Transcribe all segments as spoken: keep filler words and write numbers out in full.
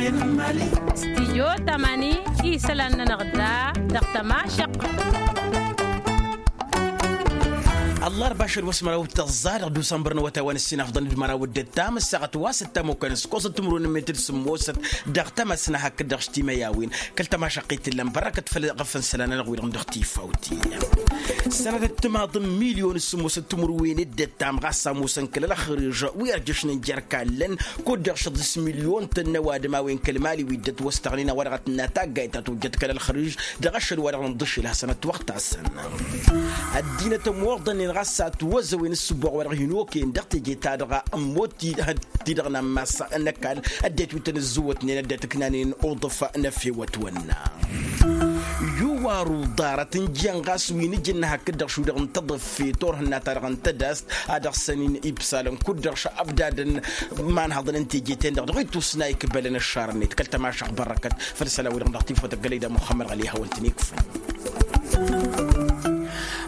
Stijyo tamani isălan-nănăɣ da dăɣ-tămašăq. Ăllarba ašăl wa s-măraw d-tăẓẓa dăɣ-dusănbăr n-awătay wa n-ǝssin afḍăn d-măraw d-ǝttam ǝssaɣăt wa s-ǝttam okănăs kosăt timǝrwen n-metăd sǝmmosăt dăɣ-tămăsna hakd-dăɣ s-timăyawin kăl-tămašăqqit t-illăn bărrăkăt făll-ɣăf n-isălan-nănăɣ wi-dăɣ n-dăɣ-tifawt. Sănatăt timaḍ n-milyon s-sǝmmosăt timǝrwen d-ǝttam ɣas ămoosăn kăl-ălxăriž wi ărjăšnen jer-kallăn kud-dăɣ šăḍis milyon-tăn n-ăwadǝm a-wen kăl-mali wi dd-ătwăstăɣnen a-wa-dăɣ a tǝnna taggayt ta tojjăt kăl-ălxăriž dăɣ-ašăl wa-dăɣ n-dd-ǝššǝl hasăn-ătwăɣtasăn. Ăddinăt ămmoḍănnen ɣas a ătwăzăwen s-sǝbboɣ wa-dăɣ hin-okăyăn dăɣ-teje-ta-dăɣ ămmodd-ti-dăɣ n-ammas n-ăkall ăddinăt wi tăn-ǝzzǝwătnen ăddinăt ǝknanen uḍǝf n-efewăt wănna. Yuwaru ḍarăt n-jăn ɣas wi n-ǝjǝnna hakd-dăɣ šudăɣ n-tăḍǝffe turhǝnna-ta-dăɣ n-tădast a dăɣ-săn-in ibsalăn kud-dăɣ šăbdadăn imanhăḍăn n-teje-ten-dăɣ dăɣ-ittusna ikbălăn ăššarnet kăl-tămašăɣ bărrăkăt făll-isălan-wi-dăɣ n-dăɣ-tifăt ăggălăy d-muxămmăd ɣali hawăn-tăn-ikfăn.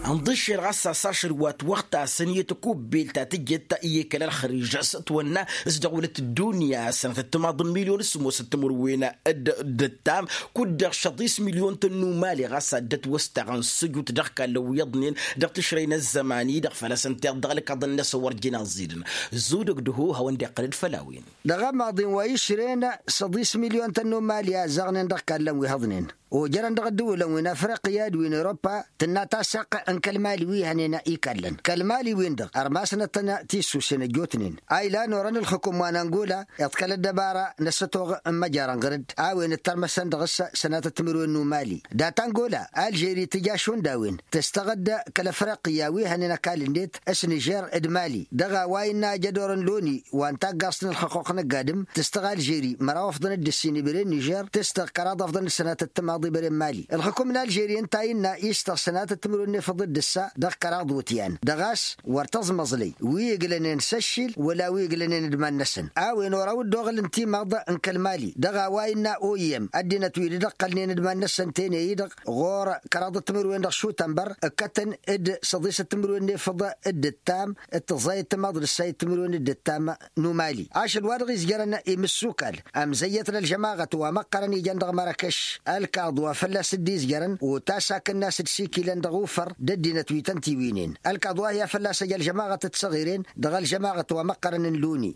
Ănḍǝššel ɣas a-s ašăl wa t-wăɣtasăn i-tăkubbelt ta tǝjjăt i-kăl-ălxăriž s-ătwănna s-dăɣ-wălăt ăddunya sănătăt timaḍ n-milyon s-sǝmmosăt timǝrwen d-ǝttam kud-dăɣ šăḍis milyon-tăn n-umali ɣas a dd-ătwăstaɣăn sǝjut dăɣ-kallăn wi iyyăḍnen dăɣ-tǝšrăy n-ăzzăman-i-dăɣ făl-a-s ǝnta iḍ dăɣ-ălkaḍăn-năsăn wăr jen aẓidăn. Zudăg dăho hawăn-dd-iqqălăd făll-a-wen. Dăɣ-ămaḍin wa išren săḍis milyon-tăn n-umali a ăzzaɣnen dăɣ-kallăn wi hăḍnen ojărăn dăɣ-ǝddǝwǝlăn wi n-afriqya d-wi n-europa tǝnna tassaqqă n-kăl-mali wi hănen ikallăn kăl-mali-win-dăɣ ărmasnăt-tăn tissusen ăjjootnen a ilan orăn ǝlxǝkum wa n-angola iḍkăl ăddăbara n-ăssătoɣ n-măjarăn ɣǝr-dd a-wen ǝttărmăsăn dăɣ-s sănatăt timǝrwen n-umali dat-angola alžeri tǝja šund a-wen tǝstăɣ-dd kăl-afriqya wi hănen ăkall-net s-nižer d-mali dăɣ-a-wa innă ajădor n-loni wa n-taggaẓt n-ǝlxăqquq n-ăgg-adǝm tǝstăɣ alžeri măraw afḍăn d-ǝssin ibren nižer tǝstăɣ kăraḍ afḍăn d-sănatăt timaḍ ibren mali ǝlxǝkum n-alžeri ǝnta a innă istăɣ sănatăt timǝrwen n-efăḍ d-ǝssa dăɣ-kăraḍ iwǝtyan dăɣ-a-s wăr tăẓmăẓlăy wi iglănen s-ăššil wăla wi iglănen d-iman-năsăn a-wen oraw dd-oɣǝl n-timaḍ n-kăl-mali dăɣ-a-wa innă oyem ăddinăt wi dd-ăqqălnen d-iman-năsăn tene-i-dăɣ ɣur-ăkk kăraḍăt timǝrwen dăɣ-šutănbăr ǝkkătăn d-săḍisăt timǝrwen n-efăḍ d-ǝttam d-tǝẓẓayăt timaḍ d-ǝssayăt timǝrwen d-ǝttam n-umali ašăl wa dăɣ-izjărăn imǝssukal ămzăyyăt n-ălžămaɣăt wa măqqărăn ijăn dăɣ-mărăkăš ălkaḍ wa fălla-s dd-izjărăn otasakăn n-a-s dd-sikilăn dăɣ-ufăr d-ăddinăt wi tăn-tiwǝynen ălkaḍ wa hi-a fălla-s ăj ălžămaɣăt d-săɣiren dăɣ-ălžămaɣăt wa măqqărăn n-loni.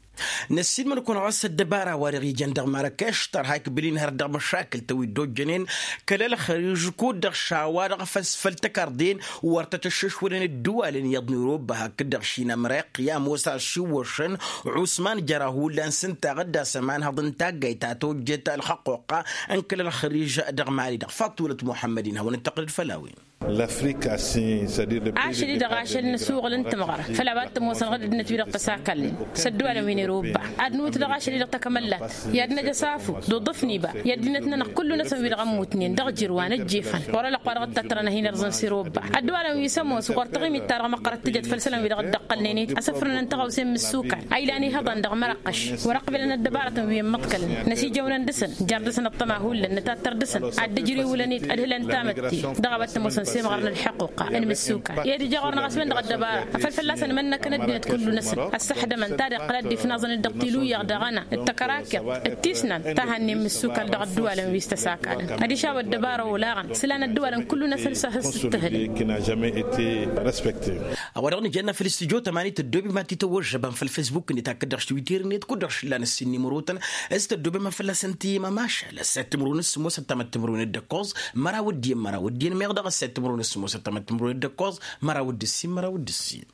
Năssiilmăd-kăwăn ɣas ăddăbara wa dăɣ-ijăn dăɣ-mărăkăš tărha ikbǝl-in hărăt dăɣ-măšakǝl-tăn wi dd-ojjănen kăl-ălxăriž kud-dăɣ šawa-dăɣ făll-tăkarḍen wăr tăt-ăššăšwălăn ǝddǝwalăn iyyăḍ n-irobba hakd-dăɣ šin ămriqya ămoos a ăššiwwăšăn usman jăra hullan s-ǝnta a ɣǝddas ămanhăḍ n-taggayt ta tojjet ălxăqquqqa n-kăl-ălxăriž dăɣ-mali-dăɣ faṭulăt muḥămmăd-in hawăn-dd-tăqqǝlăd făll-a-wen. Ašăl-i-dăɣ ašăl n-asuɣǝl n-tǝmɣăr făll-a-wa t-ămoosăn ɣǝd ăddinăt-wi-dăɣ tăsakalnen s-ădduwalăn wi n-irobba ad-nǝwǝt dăɣ-ašăl-i-dăɣ takămăllat i-ad-năj ăsafu d-uḍǝf n-iba i-ăddinăt-nănăɣ kullu-năsăn wi-dăɣ ămmutnen dăɣ-ijǝrwa n-ăjjefăn wăr-ălăqq wa dăɣ-dd-tăttărăn ad-hin-ărẓăn s-irobba ădduwalăn wi s-ămoos ɣur-taɣimit-ta-dăɣ măqqărăt tǝjăt făll-isălan wi dăɣ-dd-ăqqălnen-dd asǝfrǝnăn tăɣawse n-imǝssukal a ilan ihăḍan dăɣ-mărăqqăš wăr-ăqbǝlăn ăddăbarătăn wi ămmăḍkălnen năsijăwnăn dăɣ-săn jar dăɣ-săn ăṭṭăma hullan nǝtattăr dăɣ-săn ad-dd-ǝjrǝwǝlăn-dd ad-hǝlăn tamătte dăɣ-a-wa t-ămoosăn s-emɣăr n-ălḥăquqa n-imǝssukal i-ad-ija ɣur-năɣ a-s wen-dăɣ ăddăbara afăl fălla-săn mănnăkăn ăddinăt kullu-năsăn ăssăxdămăn ta d-iqqăl ad-dd-ifnaẓăn-dd dăɣ-tiluyyaɣ dăɣ-ăna d-tăkărakkeḍt d-tisnant ta hannăyăn imǝssukal dăɣ-ădduwalăn wi s-tăsakadăn ad-išaw ăddăbara olaɣăn s-ilan ădduwalăn kullu-năsăn s-ad-tǝhǝlăn. A-wa dăɣ-nǝjănna făll-studyo tămani tăddoobem ad-t-tăwwăžžăbăm făll-fesbuk-net hakd dăɣ-twitter-net kud-dăɣ šǝllan ǝssin n-imrotăn s-tăddoobem ad-fălla-săn tǝyyăm ămašal ăssayăt timǝrwen s-sǝmmos ăttamăt timǝrwen d-ǝkkoẓ măraw d-iyyăn măraw d-iyyăn meɣ dăɣ-ăssayăt timǝrwen s-sǝmmos ăttamăt timǝrwen d-ǝkkoẓ măraw d-ǝssin măraw d-ǝssin.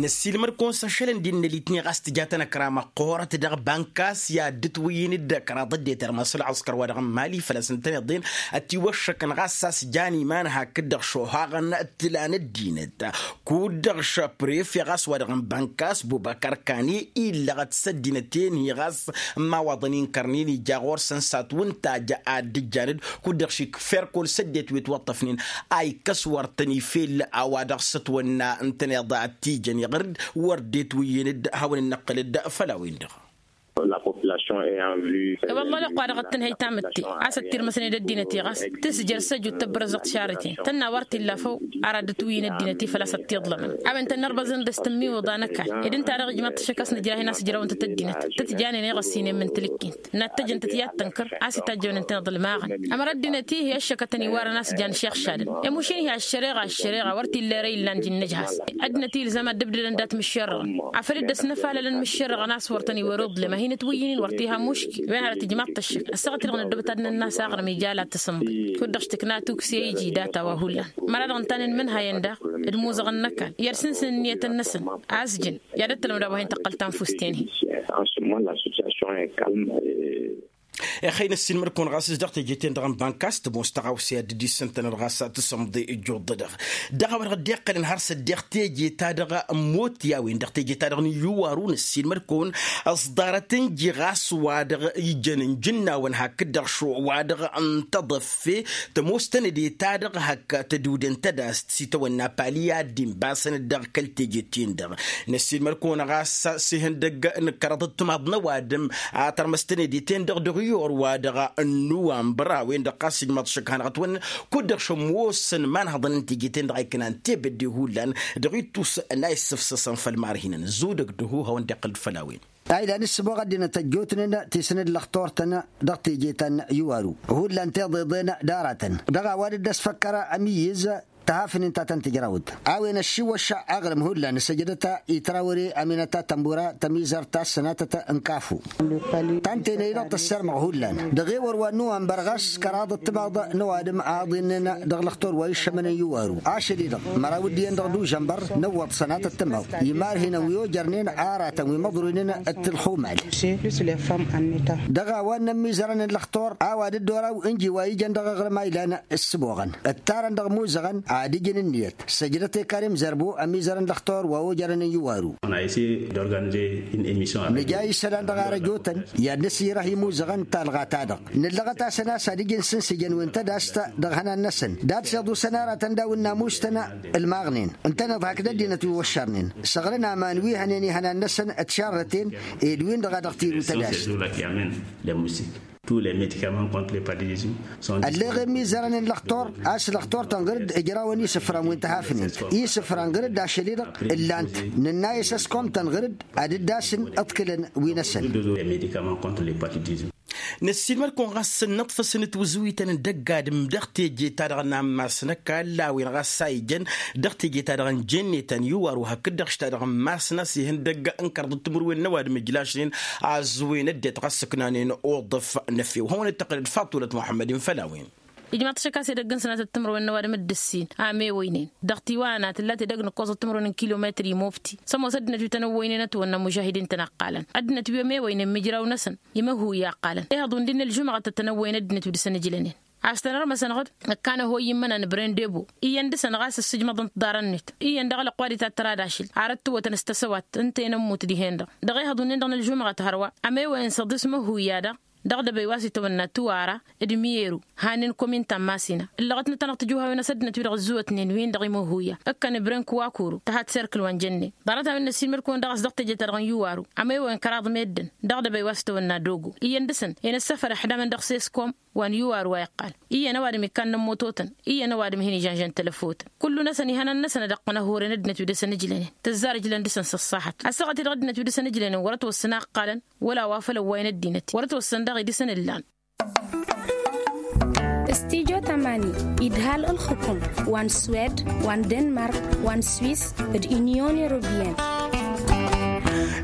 Năssiilmăd-kăwăn s-ašălăn d-innă litni ɣas tǝja-tăn ăkra măqqoorăt dăɣ-bankas i-ad-dd-ǝtwǝyyǝn d-kăraḍ ăddinăt irmas ălɣăskăr wa dăɣ-n mali făl-a-s ǝntăneḍ-en ătiwăššăkăn ɣas a-s jan iman hakd-dăɣ šohaɣăn tǝla n-ăddinăt kud-dăɣ šăpref i-ɣas wa dăɣ-n bankas bubăkăr kani illăɣăt s-ăddinăt-en-hi ɣas n-imawaḍăn inkărnen ija ɣur-săn s-ad-t-wǝntajja ad-dd-ǝjjan-dd kud-dăɣ šik ferkol s-ăddinăt wi ătwăṭṭăfnen a ikkăs wăr tăn-ifel a-wa dăɣ-s ătwănna ǝntăneḍ ad-t-ijăn iɣăr-dd wăr dd-etwǝyyǝn-dd hawăn-dd-năqqǝl-dd făll-a-wen-dăɣ. Ălwăllah ălwăqq-wa-dăɣ ăttănhăy tamǝtte a-s ăttirmăsnen d-ăddinăt-i ɣas tǝsjăr s-ăjut tăbbărăzăɣt šarăten tănna wăr t-illa făw. Ara dd-ătwǝyǝn ăddinăt-i făl-a-s ăttiḍlămăn a-wen tănnărbăẓăn dăr-s tǝmmiwǝḍa n-ăkall. Ed ǝnta-dăɣ ijmaḍ-t ăššăk a-s nǝjrah-in a-s ǝjrawăn-tăt ăddinăt tăt-janen i-iɣăssinen mǝntǝlǝkken. Nat tăjăn-tăt i-ad-tănkăr a-s itajjăwnen tăneḍ ălmaɣăn. Ămăra ăddinăt-i i-ăššăkătăn iwarăn a-s jan šixšadăn. Emušin-hi ăššăreɣa ăššăreɣa wăr t-illa ere illan jǝnnǝj has-i. Ăddinăt-i ilzam ad-dd-ǝbdădăn dat-imǝššerrăɣăn afăl dd-ăsnăfalălăn imǝššerrăɣăn a-s wăr tăn-iwăr iḍlem a hin-ătwǝyyǝn-in wăr t-iha muškil. Wen hărăt ijmaḍ-t ăššăk ăssaɣăt-i-dăɣ năddobăt ad-nănn'-as aɣrǝm ija la tǝsǝnḍe. Kud-dăɣ š-tǝkna tukǝs i-iji data wa hullan. Măra-dăɣ ǝntanen imǝnhayăn daɣ d-imuzăɣăn n-ăkall i-ad-sǝnsǝn ǝnniyătăn-năsăn a-s jăn i-ad-ăttălmăd a-wa hin-tăqqăl tanfust-en-hi. Ixăyy n-ăssiilmăd-kăwăn ɣas s-dăɣ teje-ten-dăɣ n-bankas tămoos tăɣawse a dd-issǝntănăd ɣas tǝsǝmḍe ǝjjuḍ-dăɣ. Dăɣ-a-wa-dăɣ dd-iqqălăn har s-ăddiɣ teje-ta-dăɣ n-imot i-a-wen dăɣ-teje-ta-dăɣ n-iyyuwaru n-ăssiilmăd-kăwăn ăẓḍarăt ǝnji ɣas wa-dăɣ ijăn n-ijǝnnawăn hakd-dăɣ šo wa-dăɣ n-taḍăf fe tămoos tănăde-ta-dăɣ hak tăduden tădast s-itawănna pali i-ad-dd-inbasăn dăɣ-kăl-teje-ten-dăɣ. Năssiilmăd-kăwăn ɣas s-ihăndăgg n-kăraḍăt timaḍ n-ăwadǝm a tărmăs tănăde-ten-dăɣ dăɣ-iyyur wa-dăɣ n-nuwambăr a-wen-dăɣ ɣas ijmaḍ šăkk hanăɣ-ătwănnăn kud-dăɣ šămmoosăn imanhăḍăn n-teje-ten-dăɣ a iknan tebădde hullan dăɣ-ittus n-a issǝfsăsăn făll-marhinăn zudăg d-ăhuhawăn d-iqqǝl-dd făll-a-wen. Ayla n-ǝssǝboɣ ăddinăt ăjjootnen ti s-nǝllăxtor-tăn dăɣ-teje ta n-iwaru hullan tiḍeḍen d-aratăn dăɣ-a-wa dd-ăsfăkkăr ămiyyǝz. Tăhafnen ta tăn-tǝjrawǝt a-wen ăššiwăšša aɣrǝm hullan s-ăjdăt i-trawăre ăminăt a tănbura tămizărt ta s-sănatăt n-kafu. Ta n-tenăy-dăɣ tăssărmăɣ hullan dăɣ-ewăr wa n-nuwănbăr ɣas kăraḍăt timaḍ n-ăwadǝm a ăḍinnen dăɣ-lăxtor wa iššămănen iwaru ašăl-i-dăɣ măraw dd-iyyăn dăɣ-dužănbăr n-ǝwwăḍ sănatăt timaḍ. Imărhinăn wi ojărnen aratăn wi măḍruynen d-tǝlxumal. Dăɣ-a-wa n-inǝmmizărăn n-lăxtor a-wa dd-oraw ǝnji wa ijăn dăɣ-aɣrǝm a ilan ǝssǝboɣăn ǝttarăn dăɣ-imuzăɣăn ad-ǝjǝn ǝnniyăt. Săjdăt i-karim zărbo ămizărăn lăxtor wa ojărăn n-iwaru. Nǝja isălan dăɣ-arăjotăn i-ad-nǝsǝjrăh imuzăɣăn n-talɣa-ta-dăɣ nǝllăɣăt-asăn a-s ad-ǝjǝn sǝnsǝjăn wi n-tădast dăɣ-ihănan-năsăn. Dat-s iḍusăn aratăn d-a-wen n-amustăn ǝlmaɣnen ǝntăneḍ hakd ăddinăt wi wăššărnen săɣrǝn aman wi hănen ihănan-năsăn d-šarrăten ed-win-dăɣ a dăɣ-tiru tădast. Ălleɣ i-ămizărăn n-lăxtor a-s lăxtor-tăn ɣǝr-dd ǝjrawăn isǝfran wi n-tihafnen isǝfran ɣǝr-dd ašăl-i-dăɣ ǝllan-t nǝnna-i s-ăskom-tăn ɣǝr-dd ad-dd-asǝn ǝḍkǝlăn wi-năsăn. Năssiilmăd-kăwăn ɣas s-ănnăṭṭfăsăn tiwǝzǝwităn n-dăgg-adǝm dăɣ-teje-ta-dăɣ n-ammas n-ăkall a-wen ɣas a ijăn dăɣ-teje-ta-dăɣ n-jenne ta n-iwar wa hakd-dăɣ š-ta-dăɣ n-mass n-asǝhǝndăgg n-kărḍăt timǝrwen n-ăwadǝm ǝjlašnen a ăẓwǝyăn ăddinăt ɣas ǝknanen uḍǝf n-efew hawăn-dd-tăqqǝlăd faṭulăt muḥămmăd-in făll-a-wen. Ijmaḍ-t ašăk a-s edăgg n-sănatăt timǝrwen n-ăwadǝm d-ǝssin a mewăynen dăɣ-tiwana tǝlla tedăgg n-ǝkkoẓăt timǝrwen n-kilometri mufti s-ămoos ăddinăt wi tăn-ăwwăynen ătwănna mužahidin-tăn a ǝqqalăn ăddinăt wi ămewăynen imǝjraw-năsăn. Imăhhuy a ǝqqalăn ehăḍ wi n-dd-innă ălžumăɣăt a tăn-ăwwăyăn ăddinăt wi dăr-săn ǝjlănen a-s tăn-ărmăsăn ɣǝd ǝkkan ăhoyyǝmmăn anăbren debo iyyăn dăr-săn ɣas ǝssǝjmăḍăn tiḍarăn-net iyyăn dăɣ-alăqq wa d-itattăr ad-ašǝl. Arăt tǝwwătăn s-tăsăwat ǝnta i-inǝmmut dihen-dăɣ dăɣ-ehăḍ wi n-dd-innă ălžumăɣăt hărwa ămewăyăn s-aḍis măhhuya-dăɣ dăɣ-dăbăy wa s-itawănna tuwara d-miyeru. Hanen komin ta n-masina ǝllăɣătnăt-anăɣ tijuhawen a-s ăddinăt-wi-dăɣ ǝzzǝwătnen wi-dăɣ imăhhuya ǝkkăn ibrănk wa kuru tăhat serkǝl wa n-jănnen. Ḍarăt-a-wen n-ăssiilmăd-kăwăn dăɣ-a-s dăɣ-teje-ta-dăɣ n-iwaru ămewăyăn kăraḍ meddǝn dăɣ-dăbăy wa s-itawănna dogo iyyăn dăr-săn i-inǝssăfăr ixdamăn dăɣ-seskom wa n-iwaru wa iqqal iyyăn ăwadǝm ikkan n-ămmototăn iyyăn ăwadǝm hin-ižănžăn tălăfotăn. Kullu-năsăn ihănan-năsăn ad-ăqqăn ăhhurăn ăddinăt wi dăr-săn ǝjlănen tǝzzar ǝjlăn dăr-săn s-ăṣṣaḥăt ăssaɣăt-i-dăɣ ăddinăt wi dăr-săn ǝjlănen wăr-ătwăssăn a ǝqqalăn wăla wa făll-ăwwayăn ăddinăt-i wăr-ătwăssăn daɣ idǝsăn ǝllan. Studyo tamani idhal ǝlxǝkum wa n-swed wa n-denmark wa n-swis d-inyon europiyăn.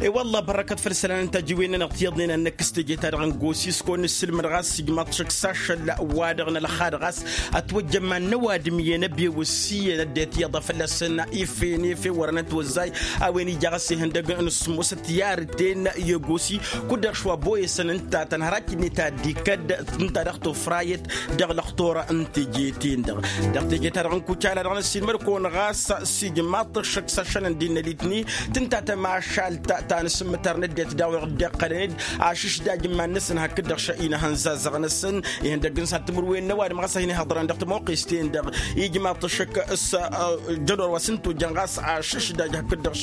I-wălla bărrăkăt făll-isălan n-tajǝwen-nănăɣ tiyyăḍnen ad-năkkǝs teje-ta-dăɣ n-gosis kăwăn-nǝssǝlmăd ɣas ijmaḍ-t šăkk s-ašăl wa-dăɣ n-ălxad ɣas ătwăjjăn iman n-ăwadǝm iyyăn ăbewăs iyyăn ăddinăt iyyăḍ a fălla-săn ifen efe wărăn ătwăzzay. A-wen ija ɣas ihăndăg n-ǝssǝmmosăt i-arǝten i-ăgosi kud-dăɣ šwa boyăsăn ǝnta tănhărac-net ad-dd-ikădd ǝnta dăɣ-tofrayăt dăɣ-lăxtor n-teje-ten-dăɣ. Dăɣ-teje-ta-dăɣ n-kucala dăɣ-năssiilmăd-kăwăn ɣas s-ijmaḍ-t ăššăk s-ašăl n-dd-innă litni tǝnta tămašalt. a n-asǝmmǝtar n-ăddinăt daw-dăɣ dd-iqqălăn-dd ašǝšdaj n-iman-năsăn hakd-dăɣ šăinăhăn zazăɣ-năsăn. Ihăndăg n-săr timǝrwen n-ăwadǝm ɣas a hin-ihăḍrăn dăɣ-tămoqqes-ten-dăɣ ijmaḍ-t ăššăk s-jădor wa s-ǝnta ojăn ɣas ašǝšdaj hakd-dăɣ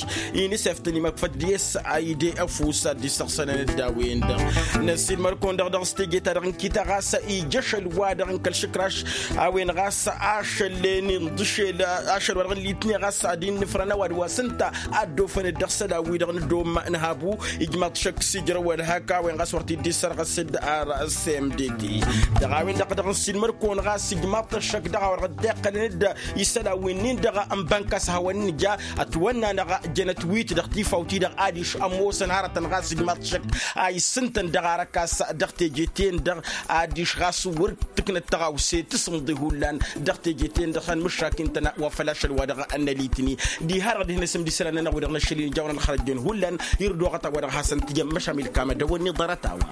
inisef-tăn imăkfăt diyes a ide ăfuss ad-dd-issăɣsănăn ăddawen-dăɣ. Năssiilmăr-kăwăn-dăɣ dăɣ-s teje-ta-dăɣ n-kita ɣas ija ašăl-wa-dăɣ n-kăl-išǝkraš a-wen ɣas ašăl-en inḍǝšel ašăl-wa-dăɣ n-litne ɣas ad-innǝfrăn ăwadǝm wa s-ǝnta a dd-ofăn-dd dăɣ-isălan-wi-dăɣ n-ăddomm n-habu. Ijmaḍ-t šăkk s-ijrăw wăr hak a-wen ɣas wăr t-dd-issărɣăs-dd ar s-m d t. Dăɣ-a-wen-dăɣ dăɣ-nǝssin măr-kăwăn ɣas ijmaḍ-t ăššăk dăɣ-a-wa-dăɣ dd-iqqălăn-dd isălan-winnin-dăɣ n-bănkas hawăn-nǝja ătwănn'-anăɣ jănăt wi-t dăɣ-tifawt-i-dăɣ adiš ămoosăn hărătăn ɣas ijmaḍ-t šăkk a issǝntăn dăɣ-arăkas dăɣ-teje-ten-dăɣ adiš ɣas wăr tǝknăt tăɣawse tǝsǝmḍe hullan dăɣ-teje-ten-dăɣ han mǝššak intăna wa făll-ašăl-wa-dăɣ n-ălitni. Diha-dăɣ dihen-asǝm d-isălan-nănăɣ-wi-dăɣ n-ašăl-in ijawăn ălxărăjjăn hullan. Irdoɣăt a-wa-dăɣ hasăn-tǝjăm măšan milkamădăwăn n-iḍarăt-a-wa.